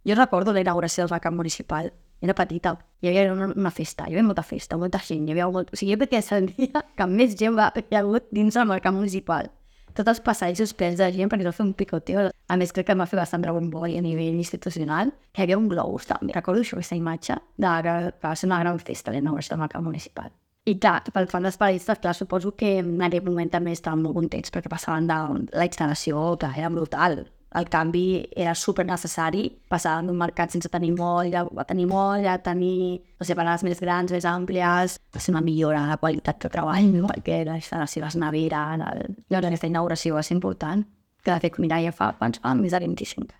Jo recordo la inauguració del mercat municipal. Era petita. Hi havia una festa, hi havia molta festa, molta gent. O sigui, jo crec que és el dia que més gent hi ha hagut dins del mercat municipal. Tots els passadissos plens de gent perquè es va fer un picoteo. A més, crec que em va fer bastant rebombori a nivell institucional. Hi havia un globus també. Recordo això, aquesta imatge que va ser una gran festa la inauguració del mercat municipal. I clar, pel fan dels paradistes, clar, suposo que en aquell moment també estaven molt contents perquè passaven de la instal·lació, clar, era brutal. El canvi era super necessari, passaven d'un mercat sense tenir molla a tenir molla, a tenir, no sé, parades més grans, més àmplies, va ser una millora de la qualitat de treball, perquè la instal·lació, les neveres, llavors aquesta inauguració va ser important, que de fet, mira, ja fa més de 25.